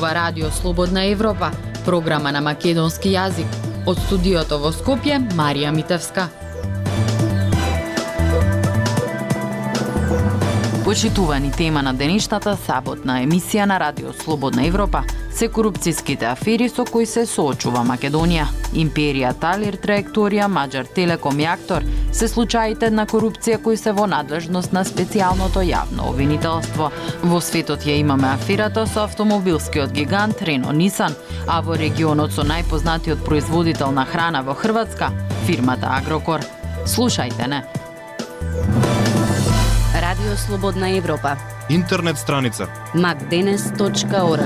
зборува Радио Слободна Европа, програма на македонски јазик. Од студиото во Скопје, Марија Митевска. Почитувани тема на денешната саботна емисија на Радио Слободна Европа се корупцијските афери со кои се соочува Македонија. Империја Талир, Траекторија, Маđар Телеком и Актор се случаите на корупција кои се во надлежност на специјалното јавно обвинителство. Во светот ја имаме аферата со автомобилскиот гигант Рено Нисан, а во регионот со најпознатиот производител на храна во Хрватска, фирмата Агрокор. Слушајте не. Радио Слободна Европа. Интернет страница macdenes.org.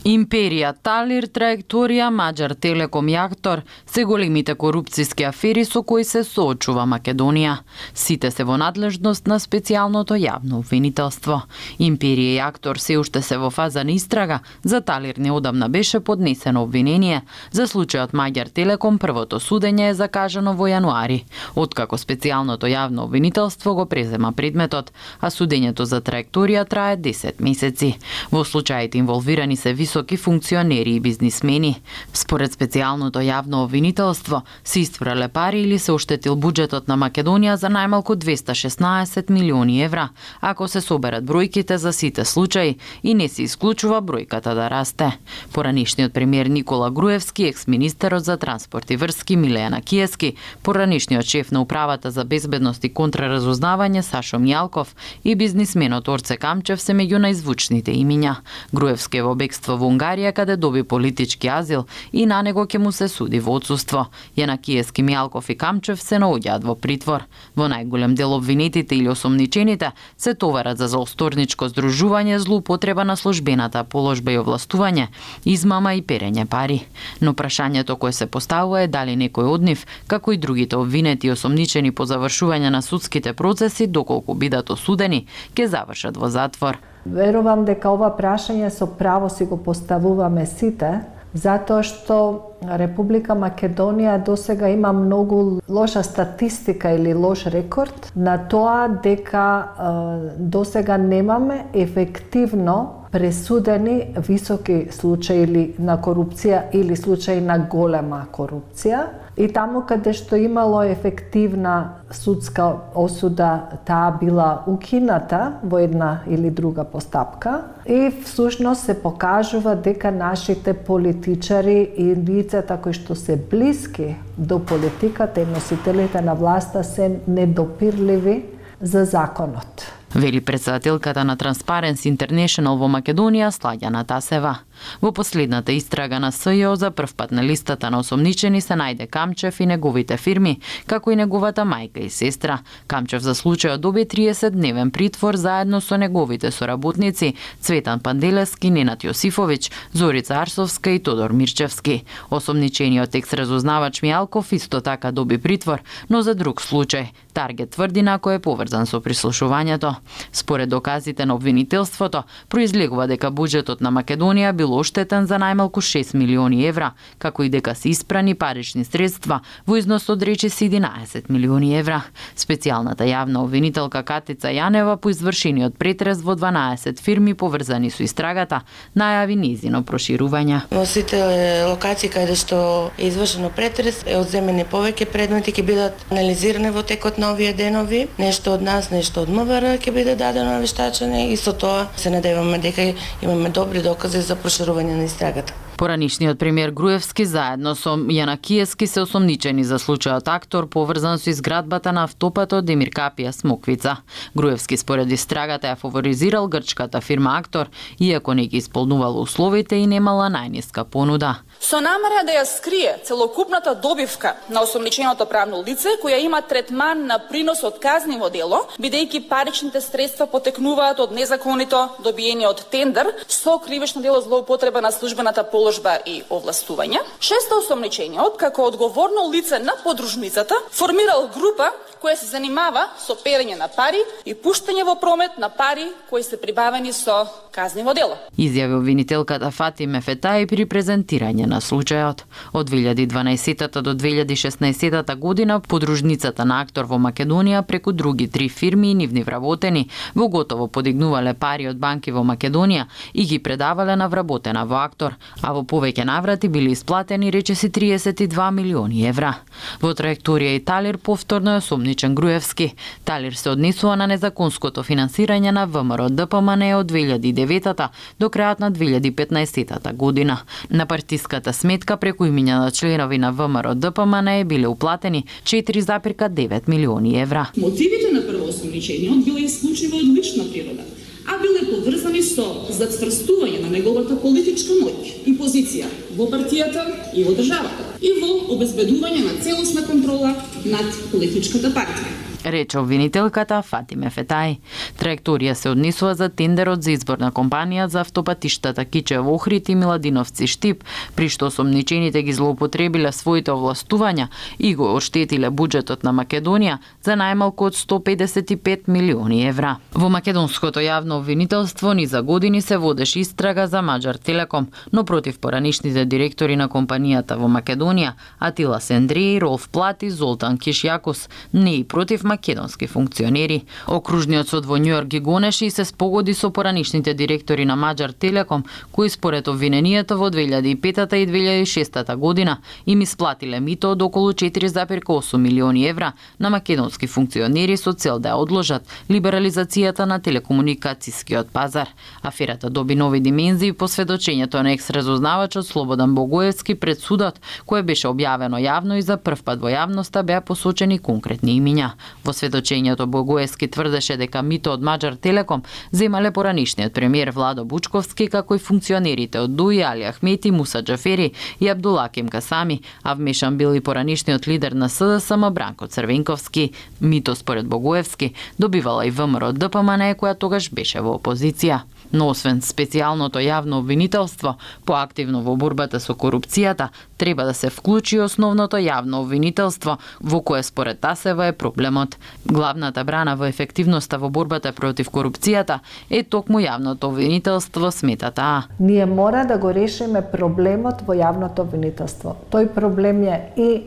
Империја Талир, Траекторија, Маđар Телеком и Актор се големите корупцијски афери со кои се соочува Македонија. Сите се во надлежност на специјалното јавно обвинителство. Империја и Актор се уште се во фаза на истрага, за Талир неодамна беше поднесено обвинение. За случајот Маđар Телеком првото судење е закажано во јануари, откако специјалното јавно обвинителство го презема предметот, а судењето за Траекторија трае 10 месеци. Во случаите инволвирани се високи функционери и бизнисмени. Според специјалното јавно обвинителство, се испрале пари или се оштетил буџетот на Македонија за најмалку 216 милиони евра, ако се соберат бројките за сите случаи и не се исклучува бројката да расте. Поранишниот премиер Никола Груевски, екс-министерот за транспорт и врски Милејана Киески, поранишниот шеф на управата за безбедност и контраразузнавање Сашо Мјалков и бизнисменот Орце Камчев се меѓу најзвучните имиња. Груевски е во бегство во Унгарија, каде доби политички азил и на него ќе му се суди во отсуство. Јанакиевски, Мјалков и Камчев се наоѓаат во притвор. Во најголем дел обвинетите или осомничените се товарат за заосторничко здружување, злоупотреба на службената положба и овластување, измама и перење пари. Но прашањето кое се поставува е дали некој од нив, како и другите обвинети и осомничени по завршување на судските процеси, доколку бидат осудени, ќе завршат во затвор. Верувам дека ова прашање со право си го поставуваме сите, затоа што Република Македонија досега има многу лоша статистика или лош рекорд на тоа дека досега немаме ефективно пресудени високи случаи на корупција или случаи на голема корупција. И таму каде што имало ефективна судска осуда, таа била укината во една или друга постапка. И всушност се покажува дека нашите политичари и лицата кои што се блиски до политиката и носителите на власта се недопирливи за законот. Вели претседателката на Transparency International во Македонија Сладјана Тасева. Во последната истрага на СЈО за прв пат на листата на осомничени се најде Камчев и неговите фирми, како и неговата мајка и сестра. Камчев за случајот доби 30-дневен притвор заедно со неговите соработници Цветан Панделевски, Ненад Јосифовиќ, Зорица Арсовска и Тодор Мирчевски. Осомничениот екс-разузнавач Мјалков исто така доби притвор, но за друг случај. Таргет тврди на кој е поврзан со прислушувањето. Според доказите на обвинителството, произлегува дека буџетот на Македонија бил оштетен за најмалку 6 милиони евра, како и дека се испрани парични средства во износ од речиси 11 милиони евра. Специјалната јавна обвинителка Катица Јанева по извршениот претрес во 12 фирми поврзани со истрагата најави низино проширување. Во сите локации каде што е извршено претрес е одземени повеќе предмети, ќе бидат анализирани во текот на овие денови. Нешто од нас, нешто од МВР ќе биде дадено на вештачење и со тоа се надеваме дека имаме добри докази за проширување на истрагата. Поранишниот премиер Груевски заедно со Јанакиевски се осомничени за случајот Актор поврзан со изградбата на автопатот Демир Капија Смоквица. Груевски според истрагата ја фаворизирал грчката фирма Актор, иако не ги исполнувала условите и немала најниска понуда. Со намера да ја скрие целокупната добивка на осомниченото правно лице, која има третман на принос од казниво дело, бидејќи паричните средства потекнуваат од незаконито добиени од тендер со кривично дело злоупотреба на службената положба и овластување. Шесто, осомничениот како одговорно лице на подружницата формирал група која се занимава со перење на пари и пуштање во промет на пари кои се прибавени со казниво дело. Изјави обвинителката Фатиме Фетаи при презентирање на случајот. Од 2012 до 2016 година подружницата на актор во Македонија преку други 3 фирми и нивни вработени во готово подигнувале пари од банки во Македонија и ги предавале на вработена во актор, а во повеќе наврати били исплатени речиси 32 милиони евра. Во траекторија и Талир повторно е осомничен Груевски. Талир се однесува на незаконското финансирање на ВМРО ДПМН од 2009 до крајот на 2015 година. На партиската сметка преку имиња на членови на ВМРО ДПМН биле уплатени 4,9 милиони евра. Мотивите на првоосомничениот биле исклучиво од лична природа, а биле поврзани со зацврстување на неговата политичка моќ и позиција во партијата и во државата и во обезбедување на целосна контрола над политичката партија. Рече обвинителката Фатиме Фетаи. Траекторија се однесува за тендерот за избор на компанија за автопатиштата Кичево Охрид и Миладиновци Штип, при што осомничените ги злоупотребиле своите овластувања и го оштетиле буџетот на Македонија за најмалку од 155 милиони евра. Во македонското јавно обвинителство ни за години се водеше истрага за Маџар Телеком, но против поранишните директори на компанијата во Македонија, Атила Сендреи, Ролф Плат и Золтан Кишјакос, не и против македонски функционери. Окружниот суд во Њујорк ги гонеше и се спогоди со поранишните директори на Маџар Телеком, кои според обвиненијата во 2005 и 2006 година им исплатиле мито од околу 4,8 милиони евра на македонски функционери со цел да ја одложат либерализацијата на телекомуникацијскиот пазар. Аферата доби нови димензии по сведочењето на екс-разузнавачот Слободан Богоевски пред судот, кое беше објавено јавно и за прв пат во јавноста беа посочени конкретни имиња. Во сведочењето Богоевски тврдеше дека мито од Маџар Телеком земале поранишниот премиер Владо Бучковски, како и функционерите од ДУИ, Али Ахмети, Муса Џафери и Абдулаким Касами, а вмешан бил и поранишниот лидер на СДСМ Бранко Црвенковски. Мито според Богоевски добивала и ВМРО ДПМН, која тогаш беше во опозиција. Но освен специјалното јавно обвинителство, поактивно во борбата со корупцијата, треба да се вклучи основното јавно обвинителство, во кое според Тасева е проблемот. Главната брана во ефективноста во борбата против корупцијата е токму јавното обвинителство, смета таа. Ние мора да го решиме проблемот во јавното обвинителство. Тој проблем е и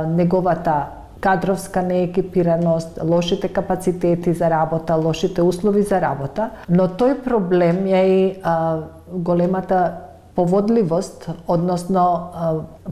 неговата кадровска неекипираност, лошите капацитети за работа, лошите услови за работа, но тој проблем е и големата поводливост, односно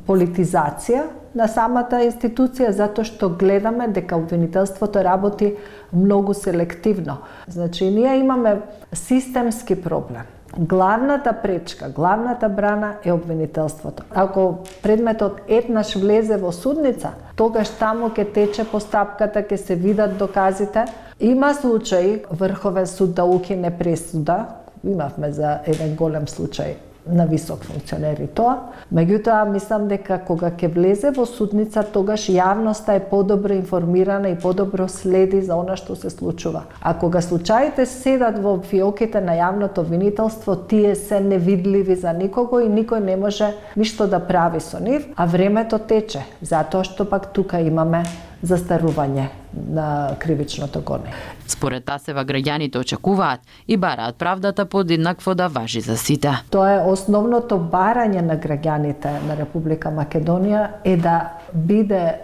политизација на самата институција, затоа што гледаме дека обвинителството работи многу селективно. Значи, ние имаме системски проблем. Главната пречка, главната брана е обвинителството. Ако предметот еднаш влезе во судница, тогаш таму ќе тече постапката, ќе се видат доказите. Има случаи Врховен суд да укине пресуда, имавме за еден голем случај на висок функционер и тоа. Меѓутоа, мислам дека кога ќе влезе во судница, тогаш јавноста е подобро информирана и подобро следи за она што се случува. А кога случаите седат во фиоките на јавното обвинителство, тие се невидливи за никого и никој не може ништо да прави со нив, а времето тече, затоа што пак тука имаме застарување на кривичното гонење. Според Тасева, граѓаните очекуваат и бараат правдата подеднакво да важи за сите. Тоа е основното барање на граѓаните на Република Македонија е да биде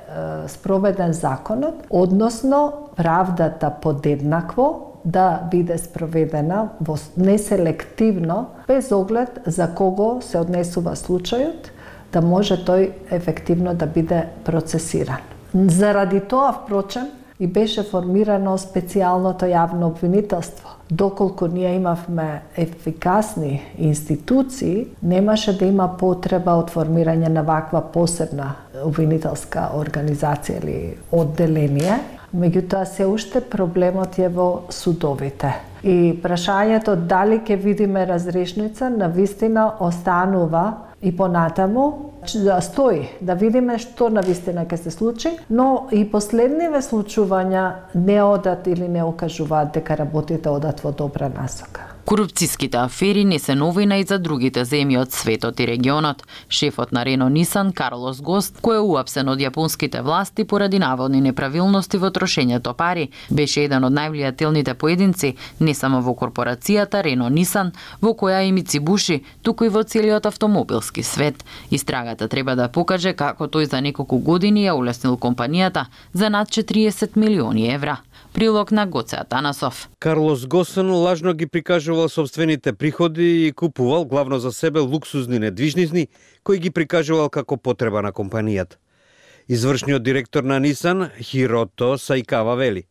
спроведен законот, односно правдата подеднакво да биде спроведена неселективно, без оглед за кого се однесува случајот, да може тој ефективно да биде процесиран. Заради тоа, впрочем, и беше формирано специјалното јавно обвинителство. Доколку ние имавме ефикасни институции, немаше да има потреба од формирање на ваква посебна обвинителска организација или одделение. Меѓутоа, се уште проблемот е во судовите. И прашањето дали ќе видиме разрешница навистина останува и понатаму да стои, да видиме што навистина ќе се случи, но и последниве случувања не одат или не окажуваат дека работите одат во добра насока. Корупцијските афери не се новина и за другите земји од светот и регионот. Шефот на Рено Нисан, Карлос Гост, кој е уапсен од јапонските власти поради наводни неправилности во трошењето пари, беше еден од највлијателните поединци не само во корпорацијата Рено Нисан, во која и Мицибуши, туку и во целиот автомобилски свет. Истрагата треба да покаже како тој за неколку години ја улеснил компанијата за над 40 милиони евра. Прилог на Гоце Атанасов. Карлос Госен лажно ги прикажувал собствените приходи и купувал главно за себе луксузни недвижници, кои ги прикажувал како потреба на компанијата. Извршниот директор на Нисан, Хирото Саикава, вели: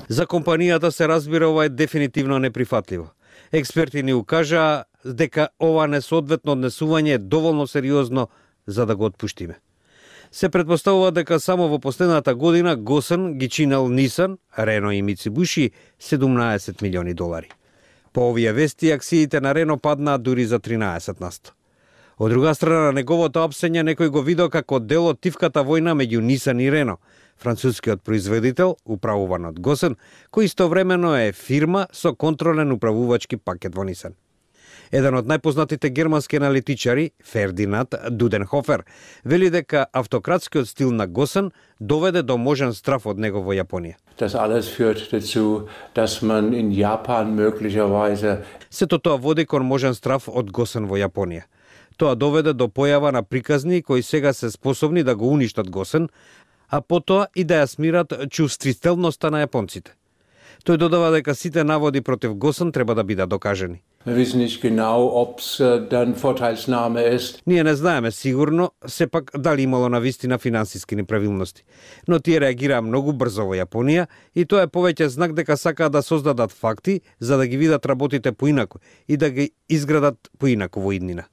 за компанијата се разбира ова е дефинитивно неприфатливо. Експерти ни укажаа дека ова несоодветно однесување е доволно сериозно за да го отпуштиме. Се претпоставува дека само во последната година Госен ги чинел Нисан, Рено и Мицибуши 17 милиони долари. По овие вести, акциите на Рено паднаа дури за 13%. Од друга страна, на неговото апсење некој го видел како дел од тивката војна меѓу Нисан и Рено, францускиот производител, управуван од Госен, кој истовремено е фирма со контролен управувачки пакет во Нисан. Еден од најпознатите германски аналитичари, Фердинанд Дуденхофер, вели дека автократскиот стил на Госен доведе до можен страф од него во Јапонија. Das alles führt dazu, dass man in Japan möglicherweise Сето тоа води кон можен страф од Госен во Јапонија. Тоа доведе до појава на приказни кои сега се способни да го уништат Госен, а потоа и да ја смират чувствителноста на јапонците. Тој додава дека сите наводи против Госен треба да бидат докажени. Ние не знаеме сигурно, сепак дали имало навистина финансиски неправилности. Но тие реагираа многу брзо во Јапонија и тоа е повеќе знак дека сакаат да создадат факти за да ги видат работите поинаку и да ги изградат поинаку во иднина.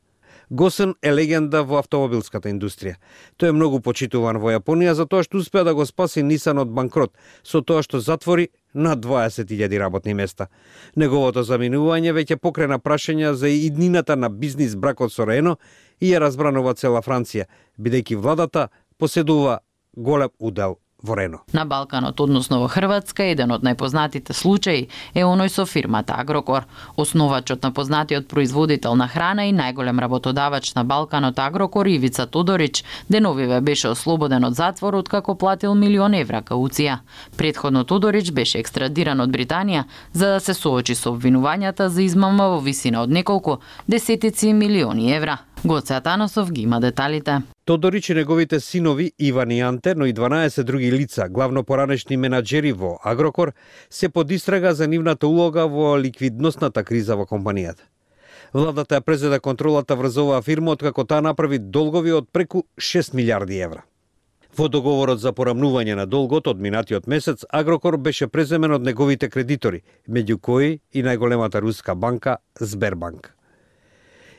Госен е легенда во автомобилската индустрија. Тој е многу почитуван во Јапонија за тоа што успеа да го спаси Нисан од банкрот, со тоа што затвори над 20.000 работни места. Неговото заминување веќе покрена прашања за иднината на бизнис бракот со Рено и ја разбранува цела Франција, бидејќи владата поседува голем удел во Рено. На Балканот, односно во Хрватска, еден од најпознатите случаи е оној со фирмата Агрокор. Основачот на познатиот производител на храна и најголем работодавач на Балканот Агрокор, Ивица Тодорич, деновиве беше ослободен од затвор откако платил 1 милион евра кауција. Претходно Тодорич беше екстрадиран од Британија за да се соочи со обвинувањата за измама во висина од неколку десетици милиони евра. Гоце Атанасов ги има деталите. Тодорич и неговите синови Иван и Анте, но и 12 други лица, главно поранешни менаџери во Агрокор, се под истрага за нивната улога во ликвидносната криза во компанијата. Владата ја презеде контролата врз оваа фирма откако таа направи долгови од преку 6 милиарди евра. Во договорот за порамнување на долгот од минатиот месец, Агрокор беше преземен од неговите кредитори, меѓу кои и најголемата руска банка Сбербанк.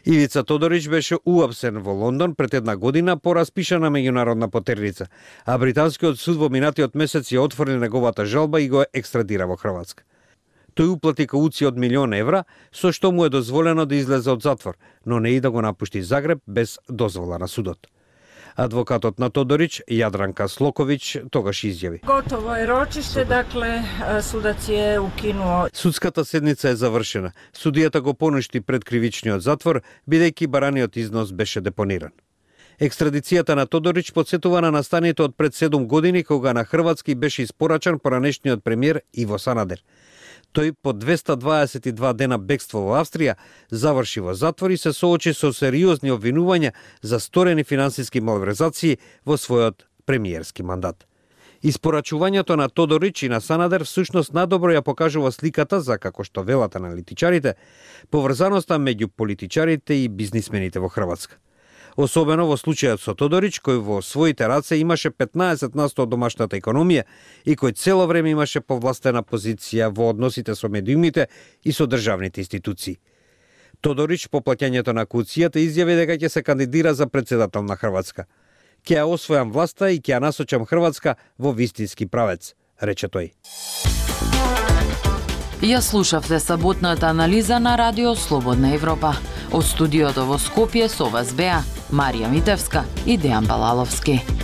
Ивица Тодорич беше уапсен во Лондон пред една година по распишана меѓународна потерница, а британскиот суд во минатиот месец ја отфрли неговата жалба и го екстрадира во Хрватска. Тој уплати кауција од 1 милион евра, со што му е дозволено да излезе од затвор, но не и да го напушти Загреб без дозвола на судот. Адвокатот на Тодорич, Јадранка Слокович, тогаш изјави: Готово е рочиште, дакле судац е укинуо. Судската седница е завршена. Судијата го поништи пред кривичниот затвор, бидејќи бараниот износ беше депониран. Екстрадицијата на Тодорич подсетува на настаните од пред 7 години, кога на Хрватски беше испорачан поранешниот премиер Иво Санадер. Тој по 222 дена бегство во Австрија заврши во затвор и се соочи со сериозни обвинувања за сторени финансиски малверзации во својот премиерски мандат. Испорачувањето на Тодорич и на Санадер всушност надобро ја покажува сликата за, како што велат аналитичарите, поврзаноста меѓу политичарите и бизнисмените во Хрватска. Особено во случајот со Тодорич, кој во своите раце имаше 15% од домашната економија и кој цело време имаше повластена позиција во односите со медиумите и со државните институции. Тодорич по плаќањето на кауцијата изјави дека ќе се кандидира за председател на Хрватска. Ќе ја освојам власта и ќе ја насочам Хрватска во вистински правец, рече тој. Ја слушавте саботната анализа на Радио Слободна Европа. Од студиото во Скопје со вас беа Марија Митевска и Дејан Балаловски.